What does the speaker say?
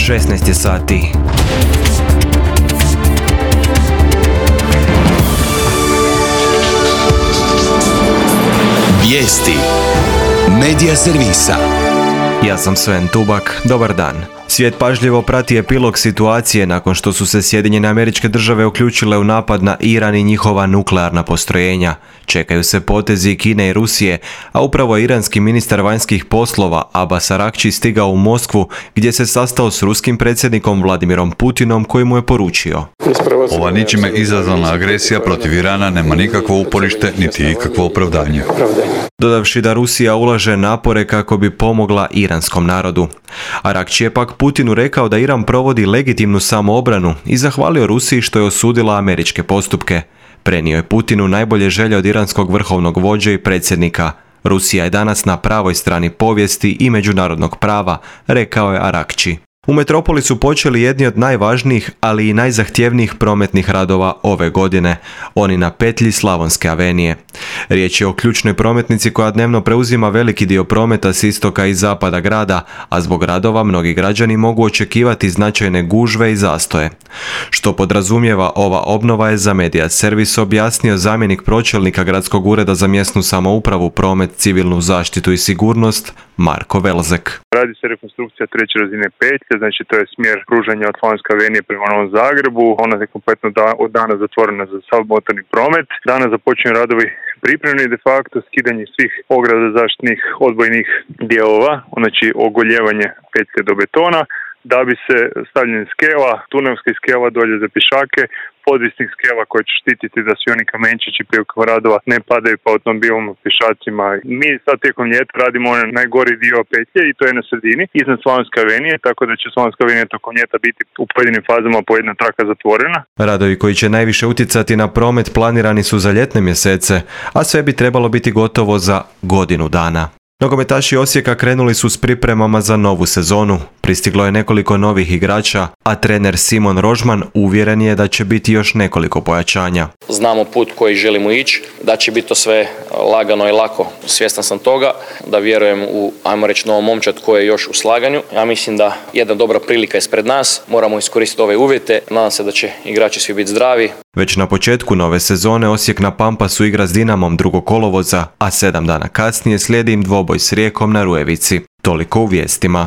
16 je sati. Vijesti Medija servisa. Ja sam Sven Tubak, dobar dan. Svijet pažljivo prati epilog situacije nakon što su se Sjedinjene Američke Države uključile u napad na Iran i njihova nuklearna postrojenja. Čekaju se potezi Kine i Rusije, a upravo je iranski ministar vanjskih poslova Abbas Araghči stigao u Moskvu gdje se sastao s ruskim predsjednikom Vladimirom Putinom koji mu je poručio: Ova ničime izazvana agresija protiv Irana nema nikakvo uporište niti ikakvo opravdanje. Dodavši da Rusija ulaže napore kako bi pomogla iranskom narodu. Araghči je pak Putinu rekao da Iran provodi legitimnu samoobranu i zahvalio Rusiji što je osudila američke postupke. Prenio je Putinu najbolje želje od iranskog vrhovnog vođe i predsjednika. Rusija je danas na pravoj strani povijesti i međunarodnog prava, rekao je Araghči. U metropoli su počeli jedni od najvažnijih, ali i najzahtjevnijih prometnih radova ove godine, oni na petlji Slavonske avenije. Riječ je o ključnoj prometnici koja dnevno preuzima veliki dio prometa s istoka i zapada grada, a zbog radova mnogi građani mogu očekivati značajne gužve i zastoje. Što podrazumijeva ova obnova je za Medija servis objasnio zamjenik pročelnika Gradskog ureda za mjesnu samoupravu, promet, civilnu zaštitu i sigurnost Marko Velzek. Radi se rekonstrukcija treće razine petlje, znači to je smjer pružanja od Slavonske avenije prema Novom Zagrebu. Ona je kompletno od dana zatvorena za sav motorni promet. Danas započinju radovi pripremni de facto, skidanje svih ograda zaštitnih odbojnih dijelova, znači ogoljevanje petlje do betona, da bi se stavljanje skela, tunelskih skela dolje za pješake, podvisnih skela koje će štititi da svi oni kamenčići prilikom radova ne padaju po automobilima, pješacima. Mi sad tijekom ljeta radimo onaj najgori dio petlje i to je na sredini, iznad Slavonske avenije, tako da će Slavonska avenija tokom ljeta biti u pojedinim fazama po jedna traka zatvorena. Radovi koji će najviše utjecati na promet planirani su za ljetne mjesece, a sve bi trebalo biti gotovo za godinu dana. Nogometaši Osijeka krenuli su s pripremama za novu sezonu. Pristiglo je nekoliko novih igrača, a trener Simon Rožman uvjeren je da će biti još nekoliko pojačanja. Znamo put koji želimo ići, da će biti to sve lagano i lako. Svjestan sam toga, da vjerujem u, ajmo reći, novom momčad koji je još u slaganju. Ja mislim da jedna dobra prilika je ispred nas, moramo iskoristiti ove uvjete. Nadam se da će igrači svi biti zdravi. Već na početku nove sezone Osijek na Pampasu igra s Dinamom 2. kolovoza, a 7 dana kasnije slijedi im dvoboj s Rijekom na Rujevici. Toliko u vijestima.